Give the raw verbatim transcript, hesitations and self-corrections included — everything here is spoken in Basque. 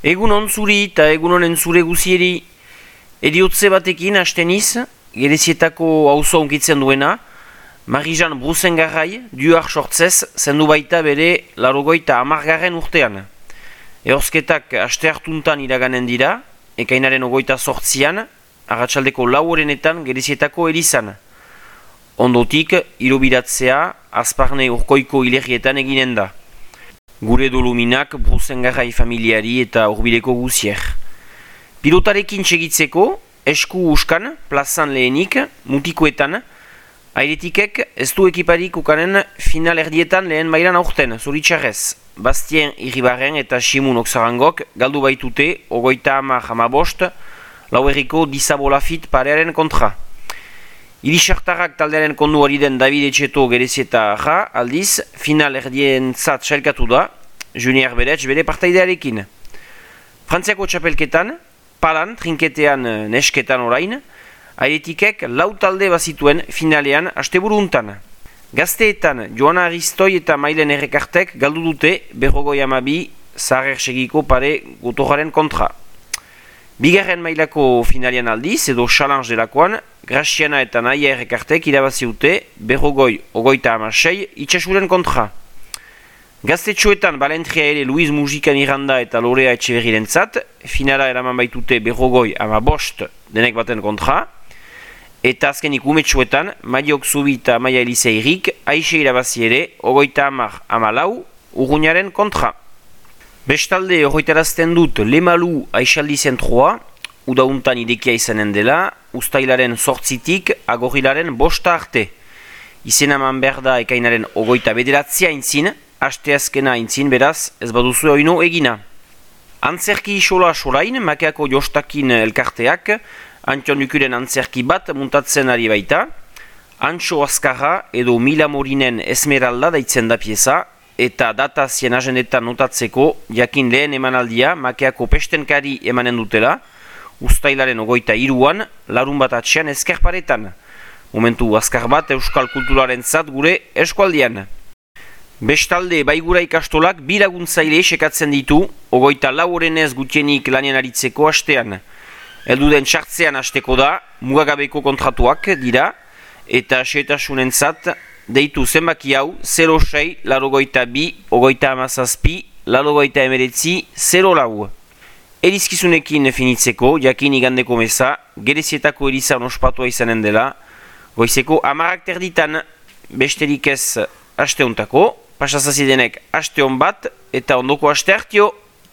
Egun on zuri eta egun honen zure guzieri ediotze batekin hasteniz, Gerezietako auzo unkitzen duena, Marijan Bruzengarrai, duar sortzez, zendu baita bere larogoita amargarren urtean. Ehorzketak aste hartuntan iraganen dira, ekainaren ogoita sortzian, arratsaldeko lau horenetan Gerezietako erizan. Ondotik, irobiratzea, azparne urkoiko hilerrietan eginen da. Gure doluminak Bruzengarrai familiari eta urbileko guzier. Pilotarekin segitzeko, esku uskan, plazan lehenik, mutikoetan, airetikek ez du ekiparik ukanen final erdietan lehen mailan aurten, zoritxarrez. Bastien Irribarren eta Simun Oksarangok galdu baitute, ogoita hamar hamabost, lauerriko disabolafit parearen kontra. Irisartarrak taldearen kondu hori den David Etxeto Gerezieta ja, aldiz, final erdien zat sailkatu da, Junior Beretz bere partaidearekin. Frantziako txapelketan, palan, trinketean, nesketan orain, airetikek lau talde bazituen finalean asteburuntan. Gazteetan, Joana Aristoi eta Mailen Errekartek galdu dute berrogoi amabi zaharrer segiko pare gotorraren kontra. Bigarren mailako finalean aldiz, edo challenge delakoan, Graziana eta Naia Errekartek irabazi dute berrogoi ogoita amasei itxasuren kontra. Gaztetxoetan balentria ere Luiz Mujikan Iranda eta Lorea Etxeberrirentzat, finala eraman baitute berrogoi amabost denek baten kontra, eta azkenik umetxoetan, Maiok Zubi eta Maia Eliseirik, aixe irabazi ere, ogoita amar amalau, urruñaren kontra. Bestalde horretarazten dut Lemalu Aixaldi zentroa, udauntan idekia izanen dela, ustailaren sortzitik, agorilaren bosta arte. Izena man behar da ekainaren ogoita bederatzia intzin, asteazkena intzin beraz, ez baduzu oino egina. Antzerki isola solain, makeako jostakin elkarteak, Antion Dukuren antzerki bat muntatzen ari baita, Antxo Azkarra edo Mila Morinen Esmeralda daitzen da pieza, eta data zien agendetan notatzeko, jakin lehen emanaldia, makeako pestenkari emanen dutela, ustailaren ogoita iruan, larun bat atxean ezkerparetan. Momentu azkar bat euskal kulturaren zat gure eskualdian. Bestalde baigura ikastolak bi laguntzaile sekatzen ditu, ogoita lau horenez gutienik lanean aritzeko hastean. Elduden txartzean hasteko da, mugagabeko kontratuak dira, eta xetasunentzat deitu zenbaki hau zero sei, larogoita bi, ogoita amazazpi, larogoita emeretzi, zero lau. Erizkizunekin finitzeko, jakin igandeko meza, Gerezietako erizan ospatua izanen dela, goizeko amarak terditan besterik ez hasteuntako, pasazazidenek hasteon bat, eta ondoko haste hartio.